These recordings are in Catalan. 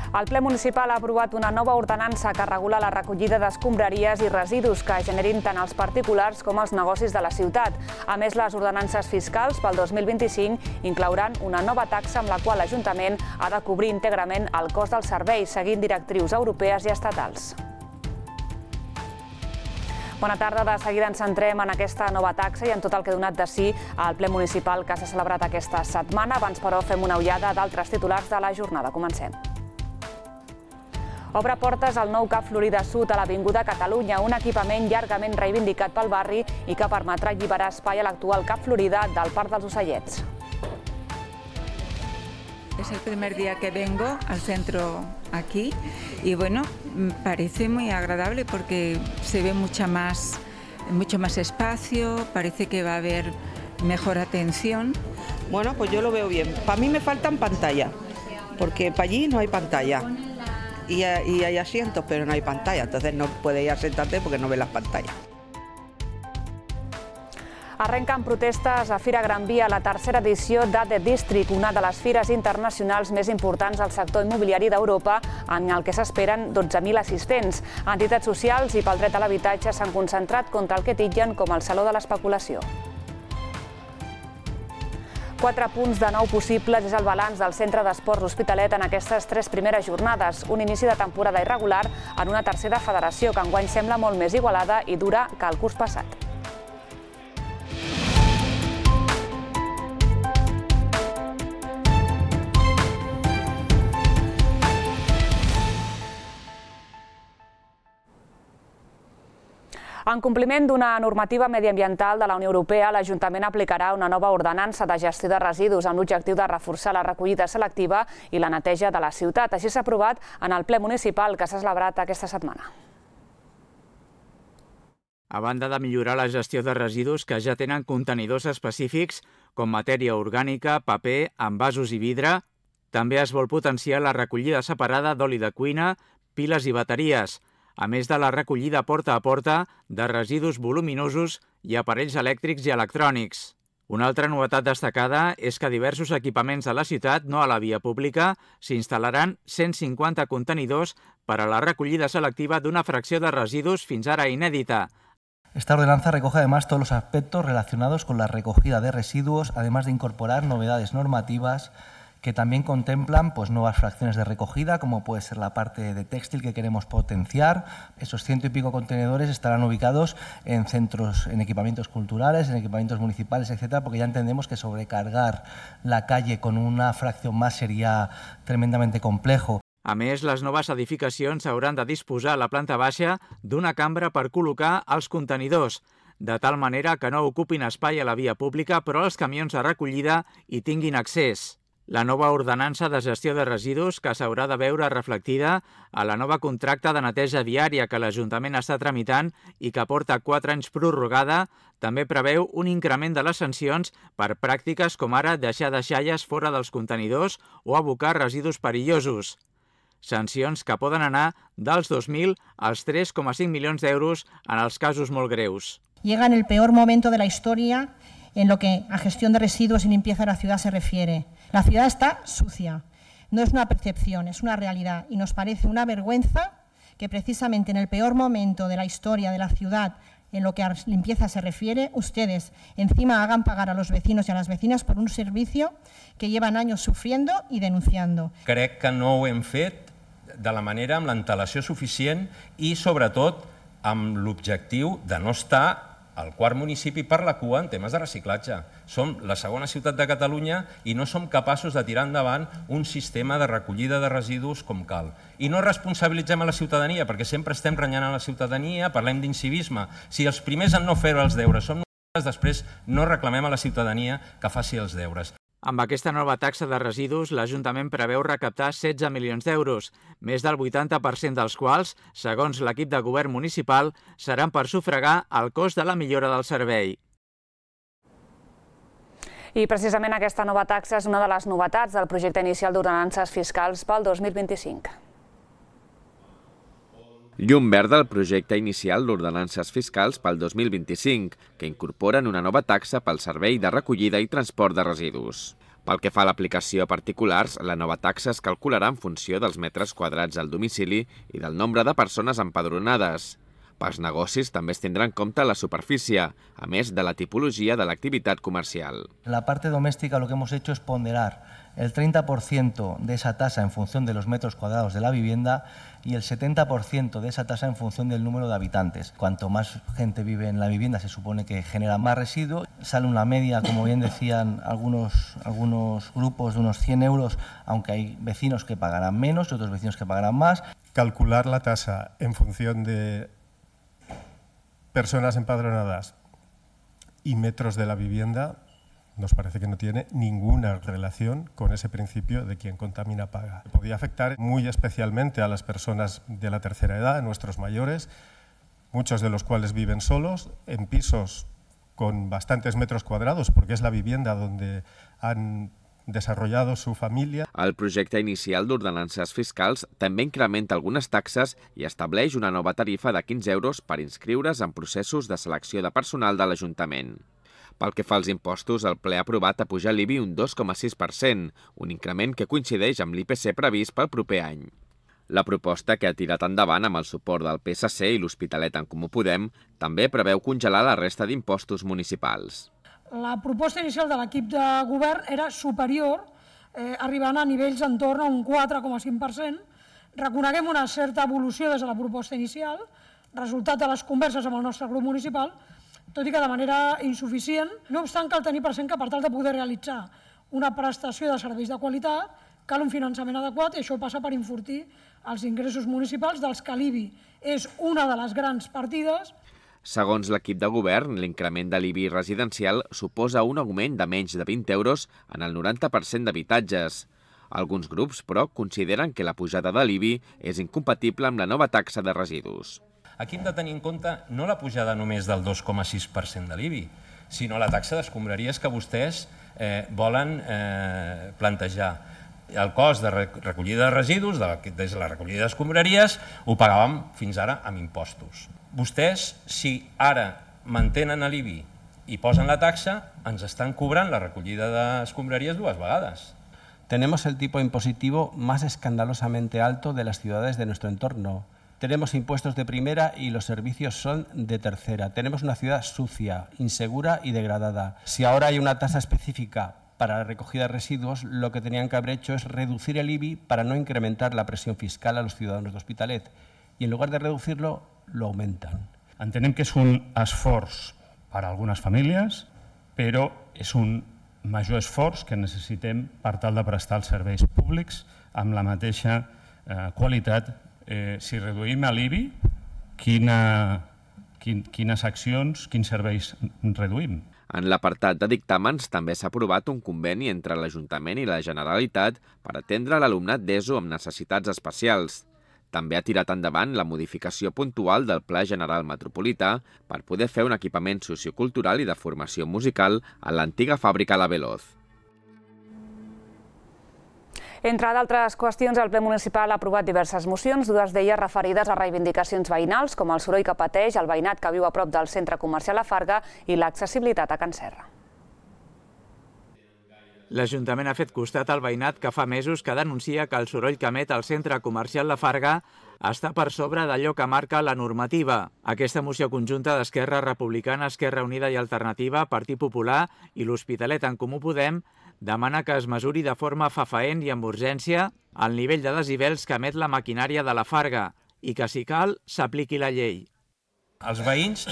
El ple municipal ha aprovat una nova ordenança que regula la recollida d'escombraries i residus que generin tant els particulars com els negocis de la ciutat. A més, les ordenances fiscals pel 2025 inclouran una nova taxa amb la qual l'Ajuntament ha de cobrir íntegrament el cost del servei, seguint directrius europees i estatals. Bona tarda. De seguida ens centrem en aquesta nova taxa i en tot el que ha donat de si al ple municipal que s'ha celebrat aquesta setmana. Abans, però, fem una ullada d'altres titulars de la jornada. Comencem. Obre portes el nou CAP Florida Sud a l'Avinguda Catalunya, un equipament llargament reivindicat pel barri i que permetrà alliberar espai a l'actual CAP Florida del Parc dels Ocellets. Es el primer día que vengo al centro aquí y bueno, parece muy agradable porque se ve mucho más espacio, parece que va a haber mejor atención. Bueno, pues yo lo veo bien. Para mí me faltan pantalla, porque para allí no hay pantalla. Y hay asientos, pero no hay pantalla, entonces no puedes ir a sentarte porque no ves las pantallas. Arrenquen protestes a Fira Gran Via, la tercera edició d'ADE District, una de les fires internacionals més importants del sector immobiliari d'Europa, en el que s'esperen 12.000 assistents. Entitats socials i pel dret a l'habitatge s'han concentrat contra el que titllen com el saló de l'especulació. 4 punts de 9 possibles és el balanç del Centre d'Esports L'Hospitalet en aquestes 3 primeres jornades, un inici de temporada irregular en una tercera federació que enguany sembla molt més igualada i dura que el curs passat. En compliment d'una normativa mediambiental de la Unió Europea, l'Ajuntament aplicarà una nova ordenança de gestió de residus amb l'objectiu de reforçar la recollida selectiva i la neteja de la ciutat. Així s'ha aprovat en el ple municipal que s'ha celebrat aquesta setmana. A banda de millorar la gestió de residus que ja tenen contenidors específics com matèria orgànica, paper, envasos i vidre, també es vol potenciar la recollida separada d'oli de cuina, piles i bateries, a més de la recollida porta a porta de residus voluminosos i aparells elèctrics i electrònics. Una altra novetat destacada és que a diversos equipaments de la ciutat, no a la via pública, s'instal·laran 150 contenidors per a la recollida selectiva d'una fracció de residus fins ara inèdita. Esta ordenanza recoge además todos los aspectos relacionados con la recogida de residuos, además de incorporar novedades normativas que también contemplan nuevas fracciones de recogida, como puede ser la parte de textil que queremos potenciar. Esos 100 y pico contenedores estarán ubicados en centros, en equipamientos culturales, en equipamientos municipales, etcétera, porque ya entendemos que sobrecargar la calle con una fracción más sería tremendamente complejo. A més, les noves edificacions hauran de disposar a la planta baixa d'una cambra per col·locar els contenidors, de tal manera que no ocupin espai a la via pública, però els camions de recollida hi tinguin accés. La nova ordenança de gestió de residus, que s'haurà de veure reflectida a la nova contracta de neteja viària que l'Ajuntament està tramitant i que porta 4 anys prorrogada, també preveu un increment de les sancions per pràctiques com ara deixar deixalles fora dels contenidors o abocar residus perillosos. Sancions que poden anar dels 2.000 als 3,5 milions d'euros en els casos molt greus. Llega en el peor momento de la historia en lo que a gestión de residuos y limpieza de la ciudad se refiere. La ciudad está sucia, no es una percepción, es una realidad y nos parece una vergüenza que precisamente en el peor momento de la historia de la ciudad en lo que a limpieza se refiere, ustedes encima hagan pagar a los vecinos y a las vecinas por un servicio que llevan años sufriendo y denunciando. Crec que no ho hem fet de la manera amb l'antelació suficient i sobretot amb l'objectiu de no estar al quart municipi per la cua en temes de reciclatge. Som la segona ciutat de Catalunya i no som capaços de tirar endavant un sistema de recollida de residus com cal. I no responsabilitzem a la ciutadania, perquè sempre estem renyant a la ciutadania, parlem d'incivisme. Si els primers en no fer els deures som nosaltres, després no reclamem a la ciutadania que faci els deures. Amb aquesta nova taxa de residus, l'Ajuntament preveu recaptar 16 milions d'euros, més del 80% dels quals, segons l'equip de govern municipal, seran per sufragar el cost de la millora del servei. I precisament aquesta nova taxa és una de les novetats del projecte inicial d'ordenances fiscals pel 2025. Llum verda al projecte inicial d'ordenances fiscals pel 2025, que incorporen una nova taxa pel servei de recollida i transport de residus. Pel que fa a l'aplicació a particulars, la nova taxa es calcularà en funció dels metres quadrats al domicili i del nombre de persones empadronades. Pels negocis també es tindrà en compte la superfície, a més de la tipologia de l'activitat comercial. En la parte doméstica lo que hemos hecho es ponderar el 30% de esa tasa en función de los metros cuadrados de la vivienda y el 70% de esa tasa en función del número de habitantes. Cuanto más gente vive en la vivienda se supone que genera más residuo. Sale una media, como bien decían algunos grupos, de unos 100 euros, aunque hay vecinos que pagarán menos y otros vecinos que pagarán más. Calcular la tasa en función de personas empadronadas y metros de la vivienda nos parece que no tiene ninguna relación con ese principio de quien contamina paga. Podría afectar muy especialmente a las personas de la tercera edad, a nuestros mayores, muchos de los cuales viven solos, en pisos con bastantes metros cuadrados, porque es la vivienda donde han desarrollado su família. El projecte inicial d'ordenances fiscals també incrementa algunes taxes i estableix una nova tarifa de 15 euros per inscriure's en processos de selecció de personal de l'Ajuntament. Pel que fa als impostos, el ple ha aprovat apujar l'IBI un 2,6%, un increment que coincideix amb l'IPC previst pel proper any. La proposta, que ha tirat endavant amb el suport del PSC i l'Hospitalet en Comú Podem, també preveu congelar la resta d'impostos municipals. La proposta inicial de l'equip de govern era superior, arribant a nivells entorn a un 4,5%. Reconeguem una certa evolució des de la proposta inicial, resultat de les converses amb el nostre grup municipal, tot i que de manera insuficient. No obstant, cal tenir present que per tal de poder realitzar una prestació de serveis de qualitat cal un finançament adequat i això passa per enfortir els ingressos municipals, dels que l'IBI és una de les grans partides. Segons l'equip de govern, l'increment de l'IBI residencial suposa un augment de menys de 20 euros en el 90% d'habitatges. Alguns grups, però, consideren que la pujada de l'IBI és incompatible amb la nova taxa de residus. Aquí hem de tenir en compte no la pujada només del 2,6% de l'IBI, sinó la taxa d'escombraries que vostès volen plantejar. El cost de recollida de residus, des de la recollida d'escombraries, ho pagàvem fins ara amb impostos. Vostès, si ara mantenen l'IBI i posen la taxa, ens estan cobrant la recollida d'escombraries dues vegades. Tenemos el tipo impositivo más escandalosamente alto de las ciudades de nuestro entorno. Tenemos impuestos de primera y los servicios son de tercera. Tenemos una ciudad sucia, insegura y degradada. Si ahora hay una tasa específica para la recogida de residuos, lo que tenían que haber hecho es reducir el IBI para no incrementar la presión fiscal a los ciudadanos de Hospitalet. I en lugar de reducir-lo, lo augmentan. Entenem que és un esforç per a algunes famílies, però és un major esforç que necessitem per tal de prestar els serveis públics amb la mateixa qualitat. Si reduïm l'IBI, quines accions, quins serveis reduïm? En l'apartat de dictàmens també s'ha aprovat un conveni entre l'Ajuntament i la Generalitat per atendre l'alumnat d'ESO amb necessitats especials. També ha tirat endavant la modificació puntual del Pla General Metropolità per poder fer un equipament sociocultural i de formació musical a l'antiga fàbrica La Veloz. Entre d'altres qüestions, el ple municipal ha aprovat diverses mocions, dues d'elles referides a reivindicacions veïnals, com el soroll que pateix el veïnat que viu a prop del centre comercial La Farga i l'accessibilitat a Can Serra. L'Ajuntament ha fet costat al veïnat que fa mesos que denuncia que el soroll que emet el centre comercial La Farga està per sobre d'allò que marca la normativa. Aquesta moció conjunta d'Esquerra Republicana, Esquerra Unida i Alternativa, Partit Popular i l'Hospitalet en Comú Podem demana que es mesuri de forma fefaent i amb urgència el nivell de decibels que emet la maquinària de La Farga i que, si cal, s'apliqui la llei. Els veïns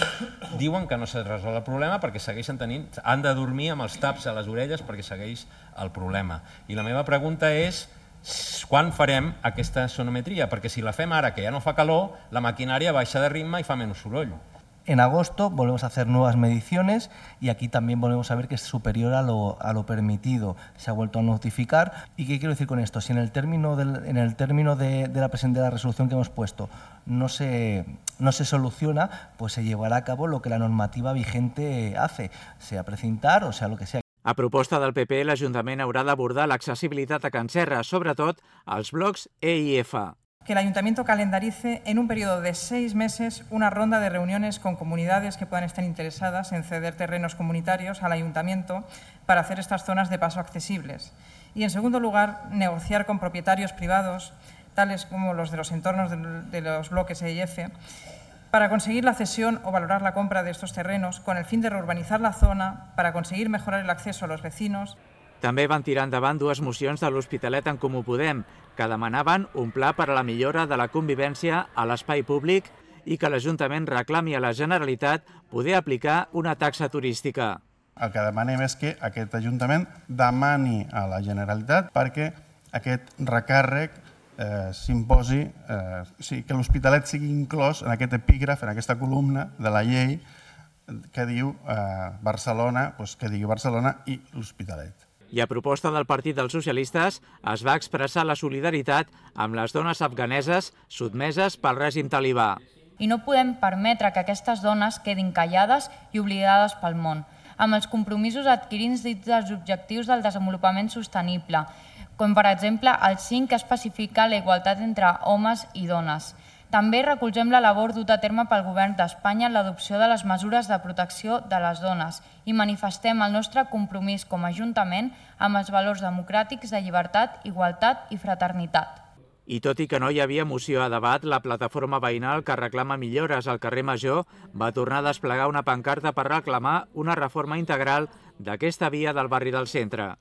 diuen que no s'ha resolt el problema perquè segueixen tenint, han de dormir amb els taps a les orelles perquè segueix el problema. I la meva pregunta és quan farem aquesta sonometria? Perquè si la fem ara, que ja no fa calor, la maquinària baixa de ritme i fa menys soroll. En agosto volvemos a hacer nuevas mediciones y aquí también volvemos a ver que es superior a lo permitido. Se ha vuelto a notificar. ¿Y qué quiero decir con esto? Si en el término de la resolución que hemos puesto no se soluciona, pues se llevará a cabo lo que la normativa vigente hace, sea precintar o sea lo que sea. A proposta del PP, l'Ajuntament haurà d'abordar l'accessibilitat a Can Serra, sobretot als blocs E i F. Que el Ayuntamiento calendarice en un periodo de 6 meses una ronda de reuniones con comunidades que puedan estar interesadas en ceder terrenos comunitarios al Ayuntamiento para hacer estas zonas de paso accesibles. Y, en segundo lugar, negociar con propietarios privados, tales como los de los entornos de los bloques E y F, para conseguir la cesión o valorar la compra de estos terrenos con el fin de reurbanizar la zona, para conseguir mejorar el acceso a los vecinos. També van tirar endavant dues mocions de l'Hospitalet en Comú Podem, que demanaven un pla per a la millora de la convivència a l'espai públic i que l'Ajuntament reclami a la Generalitat poder aplicar una taxa turística. El que demanem és que aquest Ajuntament demani a la Generalitat perquè aquest recàrrec s'imposi, que l'Hospitalet sigui inclòs en aquest epígraf, en aquesta columna de la llei que diu Barcelona, que digui Barcelona i l'Hospitalet. I a proposta del Partit dels Socialistes es va expressar la solidaritat amb les dones afganeses sotmeses pel règim talibà. I no podem permetre que aquestes dones quedin callades i oblidades pel món, amb els compromisos adquirits dins dels objectius del desenvolupament sostenible, com per exemple el 5 que especifica la igualtat entre homes i dones. També recolzem la labor duta a terme pel Govern d'Espanya en l'adopció de les mesures de protecció de les dones i manifestem el nostre compromís com a Ajuntament amb els valors democràtics de llibertat, igualtat i fraternitat. I tot i que no hi havia moció a debat, la plataforma veïnal que reclama millores al carrer Major va tornar a desplegar una pancarta per reclamar una reforma integral d'aquesta via del barri del centre.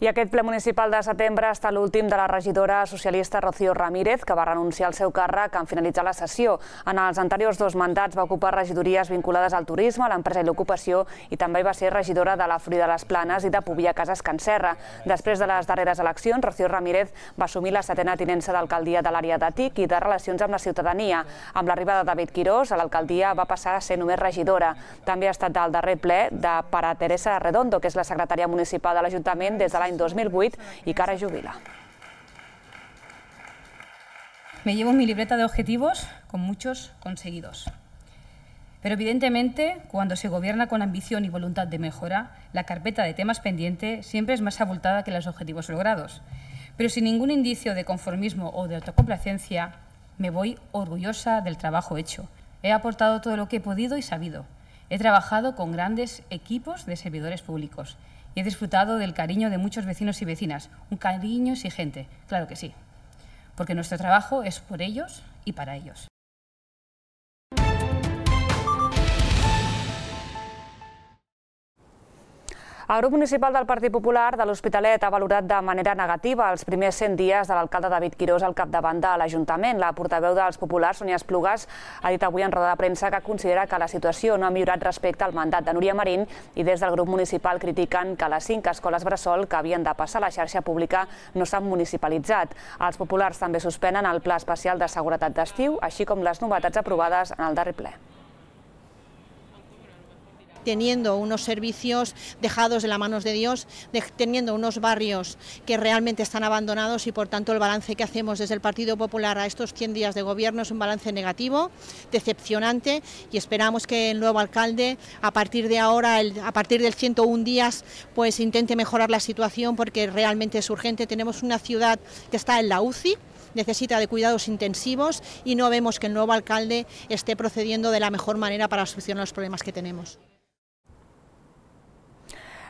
I aquest ple municipal de setembre ha estat l'últim de la regidora socialista Rocío Ramírez, que va renunciar al seu càrrec en finalitzar la sessió. En els anteriors 2 mandats va ocupar regidories vinculades al turisme, a l'empresa i l'ocupació i també va ser regidora de la Florida de les Planes i de Pobia Cases Can Serra. Després de les darreres eleccions, Rocío Ramírez va assumir la 7a tinença d'alcaldia de l'àrea de TIC i de Relacions amb la Ciutadania. Amb l'arribada de David Quirós, a l'alcaldia va passar a ser només regidora. També ha estat al darrer ple per a Teresa Redondo, que és la secretària municipal de l'Ajuntament des de l'any 2008 y que ara jubila. Me llevo mi libreta de objetivos con muchos conseguidos. Pero evidentemente, cuando se gobierna con ambición y voluntad de mejora, la carpeta de temas pendientes siempre es más abultada que los objetivos logrados. Pero sin ningún indicio de conformismo o de autocomplacencia, me voy orgullosa del trabajo hecho. He aportado todo lo que he podido y sabido. He trabajado con grandes equipos de servidores públicos. Y he disfrutado del cariño de muchos vecinos y vecinas, un cariño exigente, claro que sí, porque nuestro trabajo es por ellos y para ellos. El grup municipal del Partit Popular de l'Hospitalet ha valorat de manera negativa els primers 100 dies de l'alcalde David Quirós al capdavant de l'Ajuntament. La portaveu dels populars, Sonia Esplugas, ha dit avui en roda de premsa que considera que la situació no ha millorat respecte al mandat de Núria Marín i des del grup municipal critiquen que les 5 escoles bressol que havien de passar a la xarxa pública no s'han municipalitzat. Els populars també suspenen el Pla Especial de Seguretat d'Estiu, així com les novetats aprovades en el darrer ple. Teniendo unos servicios dejados de las manos de Dios, teniendo unos barrios que realmente están abandonados y por tanto el balance que hacemos desde el Partido Popular a estos 100 días de gobierno es un balance negativo, decepcionante y esperamos que el nuevo alcalde a partir de ahora, a partir del 101 días, pues intente mejorar la situación porque realmente es urgente. Tenemos una ciudad que está en la UCI, necesita de cuidados intensivos y no vemos que el nuevo alcalde esté procediendo de la mejor manera para solucionar los problemas que tenemos.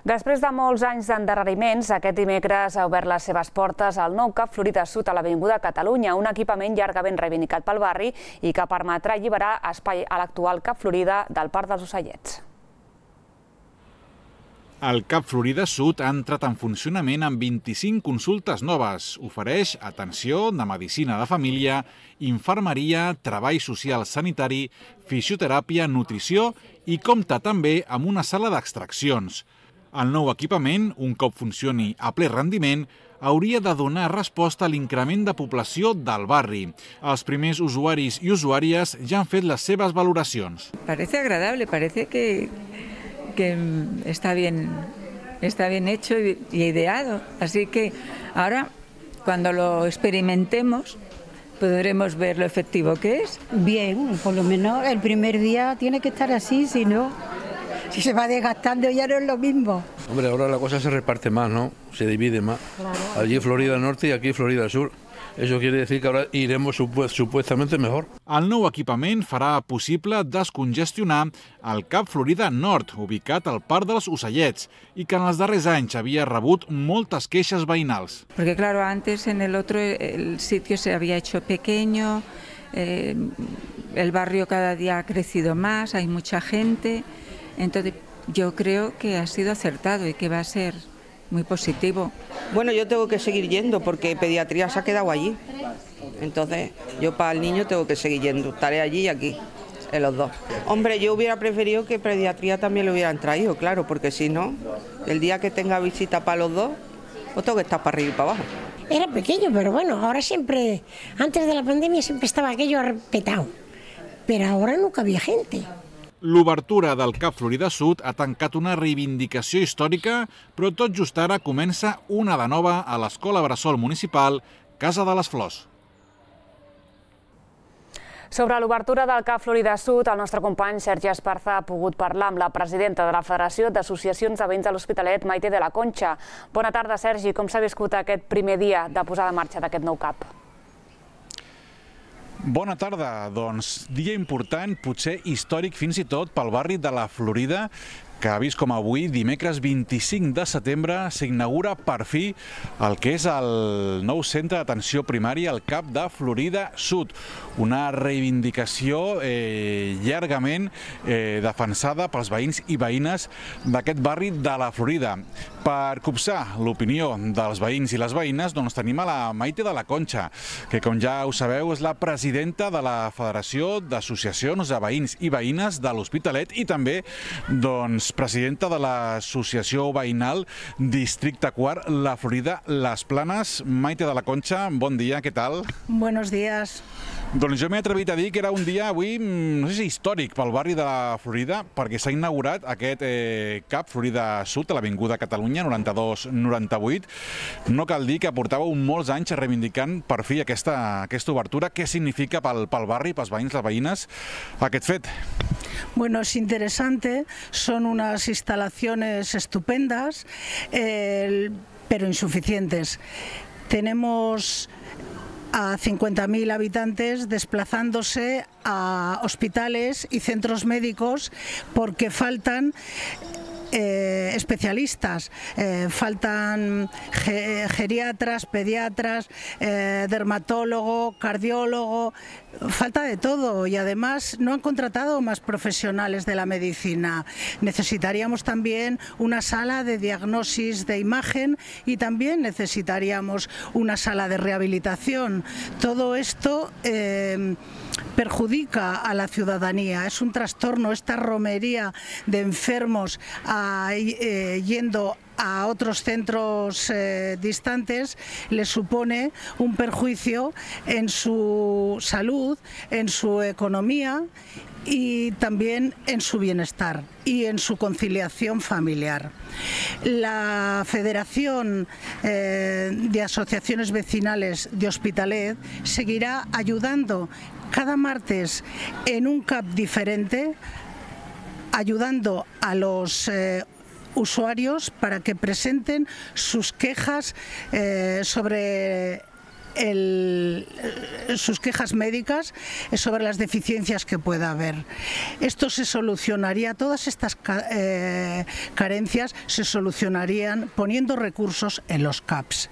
Després de molts anys d'endarreriments, aquest dimecres ha obert les seves portes al nou CAP Florida Sud a l'Avinguda Catalunya, un equipament llargament reivindicat pel barri i que permetrà alliberar espai a l'actual CAP Florida del Parc dels Ocellets. El CAP Florida Sud ha entrat en funcionament amb 25 consultes noves. Ofereix atenció de medicina de família, infermeria, treball social sanitari, fisioteràpia, nutrició i compta també amb una sala d'extraccions. El nou equipament, un cop funcioni a ple rendiment, hauria de donar resposta a l'increment de població del barri. Els primers usuaris i usuàries ja han fet les seves valoracions. Parece agradable, parece que está bien hecho y ideado. Así que ahora, cuando lo experimentemos, podremos ver lo efectivo que es. Bien, por lo menos el primer día tiene que estar así, si no, si se va desgastando ya no es lo mismo. Hombre, ahora la cosa se reparte más, ¿no? Se divide más. Claro. Allí Florida Norte y aquí Florida Sur. Eso quiere decir que ahora iremos supuestamente mejor. El nou equipament farà possible descongestionar el CAP Florida Nord, ubicat al Parc dels Ocellets, i que en els darrers anys havia rebut moltes queixes veïnals. Porque claro, antes en el otro el sitio se había hecho pequeño, el barrio cada día ha crecido más, hay mucha gente, entonces yo creo que ha sido acertado y que va a ser muy positivo. Bueno, yo tengo que seguir yendo porque pediatría se ha quedado allí. Entonces, yo para el niño tengo que seguir yendo. Estaré allí y aquí, en los dos. Hombre, yo hubiera preferido que pediatría también lo hubieran traído, claro, porque si no, el día que tenga visita para los dos, pues tengo que estar para arriba y para abajo. Era pequeño, pero bueno, ahora siempre, antes de la pandemia siempre estaba aquello petado, pero ahora nunca había gente. L'obertura del CAP Florida Sud ha tancat una reivindicació històrica, però tot just ara comença una de nova a l'Escola Bressol Municipal Casa de les Flors. Sobre l'obertura del CAP Florida Sud, el nostre company Sergi Esparza ha pogut parlar amb la presidenta de la Federació d'Associacions de Veïns de l'Hospitalet, Maite de la Concha. Bona tarda, Sergi. Com s'ha viscut aquest primer dia de posada en marxa d'aquest nou CAP? Bona tarda. Doncs dia important, potser històric fins i tot pel barri de la Florida, que ha vist com avui, dimecres 25 de setembre, s'inaugura per fi el que és el nou centre d'atenció primària, el CAP de Florida Sud. Una reivindicació llargament defensada pels veïns i veïnes d'aquest barri de la Florida. Per copsar l'opinió dels veïns i les veïnes, doncs tenim a la Maite de la Concha, que com ja ho sabeu és la presidenta de la Federació d'Associacions de Veïns i Veïnes de l'Hospitalet i també doncs presidenta de l'Associació Veïnal Districte Quart, la Florida, Les Planes. Maite de la Concha, bon dia, què tal? Buenos días. Doncs jo m'he atrevit a dir que era un dia avui, no sé si històric pel barri de la Florida, perquè s'ha inaugurat aquest CAP Florida Sud a l'Avinguda Catalunya 92-98. No cal dir que portàveu molts anys reivindicant per fi aquesta obertura. Què significa pel barri, pels veïns, les veïnes, aquest fet? Bueno, es interesante, son unas instalaciones estupendas, pero insuficientes. Tenemos a 50.000 habitantes desplazándose a hospitales y centros médicos porque faltan especialistas, faltan geriatras, pediatras, dermatólogo, cardiólogo, falta de todo y además no han contratado más profesionales de la medicina. Necesitaríamos también una sala de diagnosis de imagen y también necesitaríamos una sala de rehabilitación. Todo esto perjudica a la ciudadanía, es un trastorno, esta romería de enfermos yendo a otros centros distantes les supone un perjuicio en su salud, en su economía y también en su bienestar y en su conciliación familiar. La Federación de Asociaciones Vecinales de Hospitalet seguirá ayudando cada martes en un CAP diferente, ayudando a los usuarios para que presenten sus quejas sobre sus quejas médicas sobre las deficiencias que pueda haber. Esto se solucionaría, todas estas carencias se solucionarían poniendo recursos en los CAPs.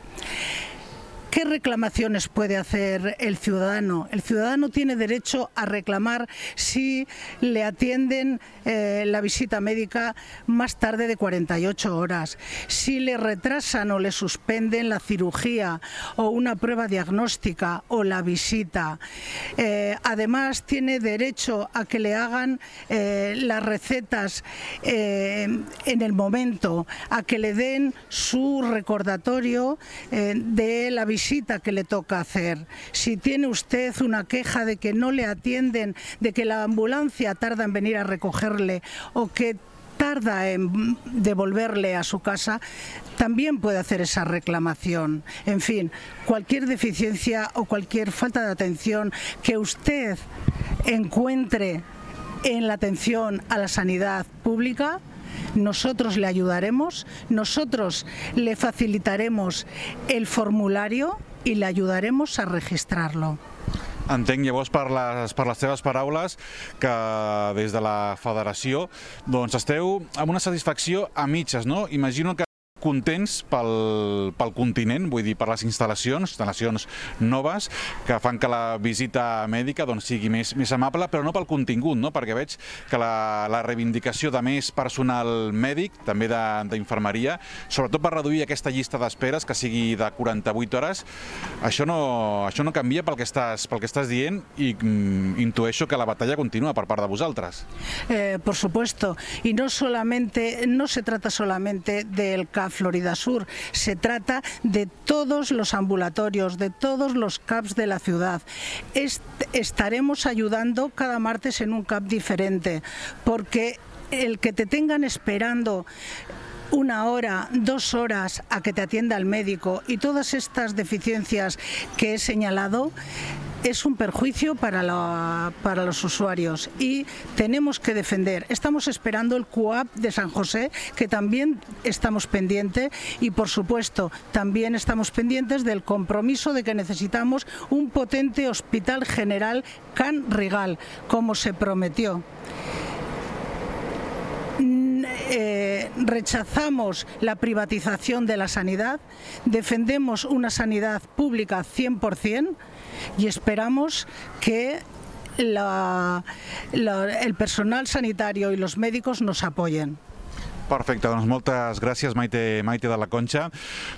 ¿Qué reclamaciones puede hacer el ciudadano? El ciudadano tiene derecho a reclamar si le atienden la visita médica más tarde de 48 horas, si le retrasan o le suspenden la cirugía o una prueba diagnóstica o la visita. Además, tiene derecho a que le hagan las recetas en el momento, a que le den su recordatorio de la visita que le toca hacer. Si tiene usted una queja de que no le atienden, de que la ambulancia tarda en venir a recogerle o que tarda en devolverle a su casa, también puede hacer esa reclamación. En fin, cualquier deficiencia o cualquier falta de atención que usted encuentre en la atención a la sanidad pública, nosotros le ayudaremos, nosotros le facilitaremos el formulario y le ayudaremos a registrarlo. Entenc llavors per les teves paraules que des de la federació esteu amb una satisfacció a mitges, no? Imagino que contents pel continent, vull dir, per les instal·lacions noves que fan que la visita mèdica sigui més amable, però no pel contingut, no? Perquè veig que la reivindicació de més personal mèdic, també d'infermeria, sobretot per reduir aquesta llista d'esperes que sigui de 48 hores, això no canvia pel que estàs dient i intueixo que la batalla continua per part de vosaltres. Por supuesto, y no se trata solamente del CAP Florida Sur, se trata de todos los ambulatorios, de todos los CAPs de la ciudad. Estaremos ayudando cada martes en un CAP diferente, porque el que te tengan esperando 1 hora, 2 horas a que te atienda el médico y todas estas deficiencias que he señalado es un perjuicio para los usuarios y tenemos que defender. Estamos esperando el CUAP de San José, que también estamos pendientes, y por supuesto también estamos pendientes del compromiso de que necesitamos un potente hospital general Can Rigal, como se prometió. Rechazamos la privatización de la sanidad, defendemos una sanidad pública 100% y esperamos que el personal sanitario y los médicos nos apoyen. Perfecte, doncs moltes gràcies Maite de la Concha.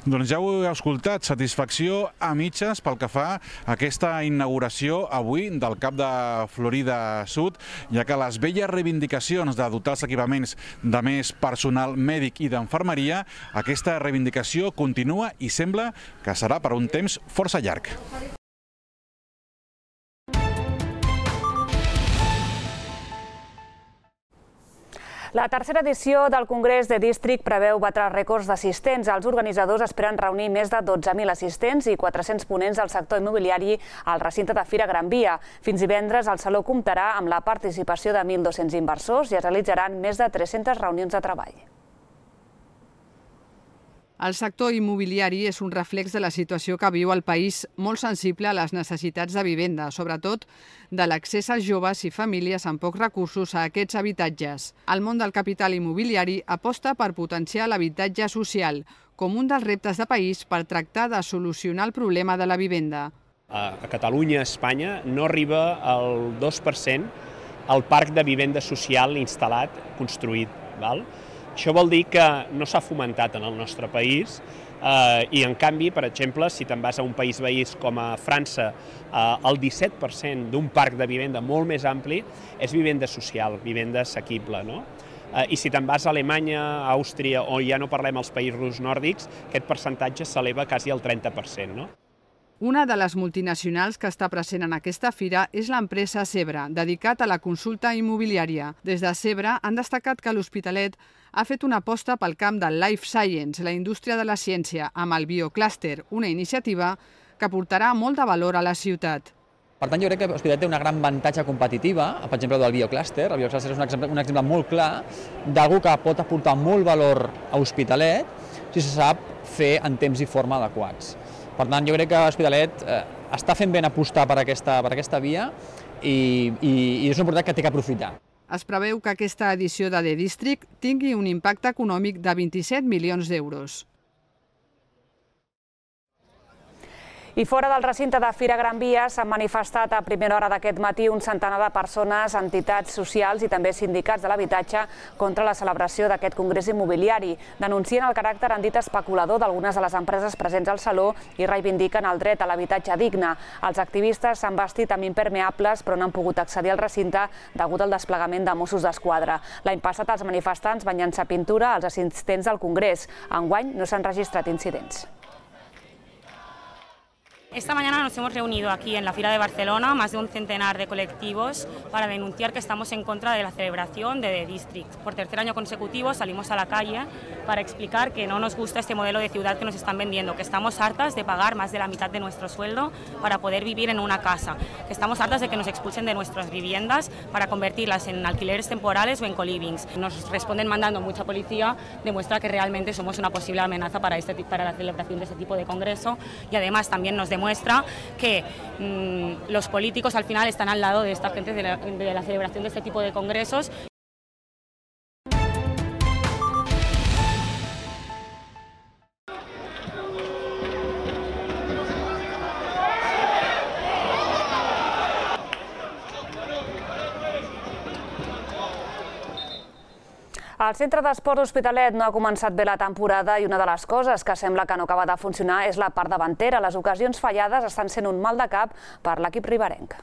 Doncs ja ho heu escoltat, satisfacció a mitges pel que fa a aquesta inauguració avui del CAP de Florida Sud, ja que les velles reivindicacions de dotar els equipaments de més personal mèdic i d'infermeria, aquesta reivindicació continua i sembla que serà per un temps força llarg. La tercera edició del Congrés de District preveu batre rècords d'assistents. Els organitzadors esperen reunir més de 12.000 assistents i 400 ponents del sector immobiliari al recinte de Fira Gran Via. Fins divendres el Saló comptarà amb la participació de 1.200 inversors i es realitzaran més de 300 reunions de treball. El sector immobiliari és un reflex de la situació que viu el país, molt sensible a les necessitats de vivenda, sobretot de l'accés als joves i famílies amb pocs recursos a aquests habitatges. El món del capital immobiliari aposta per potenciar l'habitatge social com un dels reptes de país per tractar de solucionar el problema de la vivenda. A Catalunya, a Espanya, no arriba al 2% el parc de vivenda social instal·lat, construït. Això vol dir que no s'ha fomentat en el nostre país i, en canvi, per exemple, si te'n vas a un país veí com a França, el 17% d'un parc de vivenda molt més ampli és vivenda social, vivenda assequible. I si te'n vas a Alemanya, a Àustria, o ja no parlem als països nòrdics, aquest percentatge s'eleva quasi al 30%. Una de les multinacionals que està present en aquesta fira és l'empresa Zebra, dedicat a la consulta immobiliària. Des de Zebra han destacat que l'Hospitalet ha fet una aposta pel camp del Life Science, la indústria de la ciència, amb el Bioclúster, una iniciativa que aportarà molt de valor a la ciutat. Per tant, jo crec que l'Hospitalet té una gran avantatge competitiva, per exemple, del Bioclúster. El Bioclúster és un exemple molt clar d'algú que pot aportar molt valor a l'Hospitalet si se sap fer en temps i forma adequats. Per tant, jo crec que l'Hospitalet està fent ben apostar per aquesta via i és una oportunitat que té que aprofitar. Es preveu que aquesta edició de The District tingui un impacte econòmic de 27 milions d'euros. I fora del recinte de Fira Gran Via s'han manifestat a primera hora d'aquest matí un centenar de persones, entitats socials i també sindicats de l'habitatge contra la celebració d'aquest congrés immobiliari. Denuncien el caràcter en dit especulador d'algunes de les empreses presents al saló i reivindiquen el dret a l'habitatge digne. Els activistes s'han vestit amb impermeables però no han pogut accedir al recinte degut al desplegament de Mossos d'Esquadra. L'any passat els manifestants van llançar pintura als assistents del congrés. Enguany no s'han registrat incidents. Esta mañana nos hemos reunido aquí en la Fira de Barcelona, más de un centenar de colectivos, para denunciar que estamos en contra de la celebración de The District. Por tercer año consecutivo salimos a la calle para explicar que no nos gusta este modelo de ciudad que nos están vendiendo, que estamos hartas de pagar más de la mitad de nuestro sueldo para poder vivir en una casa, que estamos hartas de que nos expulsen de nuestras viviendas para convertirlas en alquileres temporales o en colivings. Nos responden mandando mucha policía, demuestra que realmente somos una posible amenaza para la celebración de este tipo de congreso, y además también nos demuestra que los políticos al final están al lado de esta gente de la celebración de este tipo de congresos. El Centre d'Esport Hospitalet no ha començat bé la temporada i una de les coses que sembla que no acaba de funcionar és la part davantera. Les ocasions fallades estan sent un mal de cap per l'equip riberenc.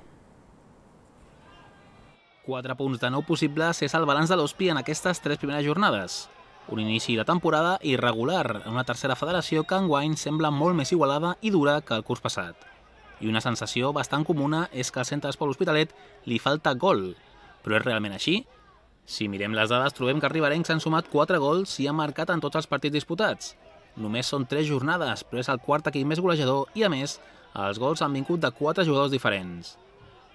4 punts de 9 possibles és el balanç de l'Hospi en aquestes 3 primeres jornades. Un inici de temporada irregular en una tercera federació que enguany sembla molt més igualada i dura que el curs passat. I una sensació bastant comuna és que al Centre d'Esport Hospitalet li falta gol. Però és realment així? Si mirem les dades, trobem que els riberencs han sumat 4 gols i han marcat en tots els partits disputats. Només són 3 jornades, però és el quart equip més golejador i, a més, els gols han vingut de 4 jugadors diferents.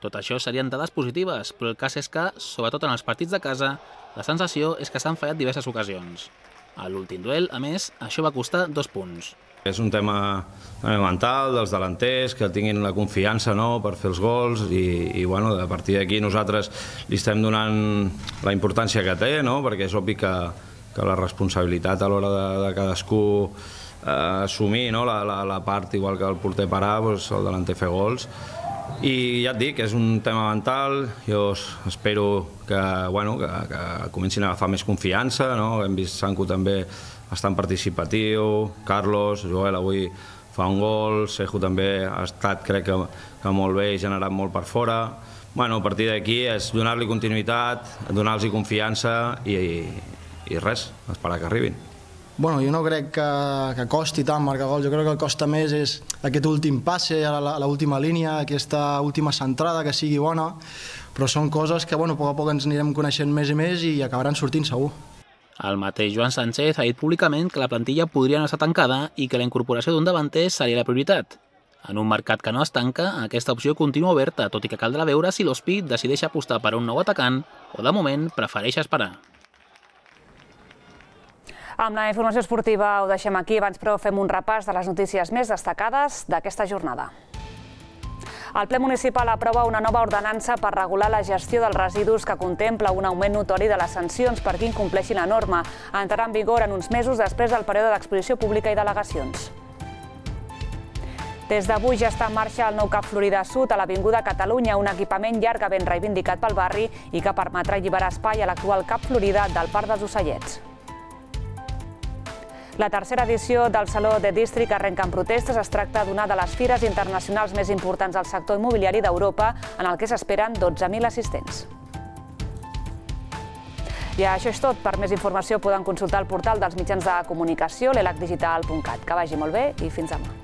Tot això serien dades positives, però el cas és que, sobretot en els partits de casa, la sensació és que s'han fallat diverses ocasions. A l'últim duel, a més, això va costar 2 punts. És un tema mental dels delanters, que tinguin la confiança per fer els gols i a partir d'aquí nosaltres li estem donant la importància que té, perquè és obvi que la responsabilitat a l'hora de cadascú assumir la part, igual que el porter parar, el delanter fer gols. I ja et dic, és un tema mental, jo espero que comencin a agafar més confiança, hem vist Sanco també bastant participatiu, Carlos, Joel avui fa un gol, Sejo també ha estat, crec que molt bé i generat molt per fora. A partir d'aquí és donar-li continuïtat, donar-los confiança i res, esperar que arribin. Jo no crec que costi tant marcar gols, jo crec que el que costa més és aquest últim passe a l'última línia, aquesta última centrada que sigui bona, però són coses que a poc a poc ens anirem coneixent més i més i acabaran sortint segur. El mateix Joan Sánchez ha dit públicament que la plantilla podria no estar tancada i que la incorporació d'un davanter seria la prioritat. En un mercat que no es tanca, aquesta opció continua oberta, tot i que caldrà veure si l'Hospi decideix apostar per un nou atacant o, de moment, prefereix esperar. Amb la informació esportiva ho deixem aquí, abans però fem un repàs de les notícies més destacades d'aquesta jornada. El ple municipal aprova una nova ordenança per regular la gestió dels residus que contempla un augment notori de les sancions per qui incompleixi la norma. Entrarà en vigor en uns mesos després del període d'exposició pública i delegacions. Des d'avui ja està en marxa el nou CAP Florida Sud a l'Avinguda Catalunya, un equipament llargament reivindicat pel barri i que permetrà alliberar espai a l'actual CAP Florida del Parc dels Ocellets. La tercera edició del Saló The District arrenca en protestes. Es tracta d'una de les fires internacionals més importants del sector immobiliari d'Europa, en el que s'esperen 12.000 assistents. I això és tot. Per més informació poden consultar el portal dels mitjans de comunicació, l'elacdigital.cat. Que vagi molt bé i fins demà.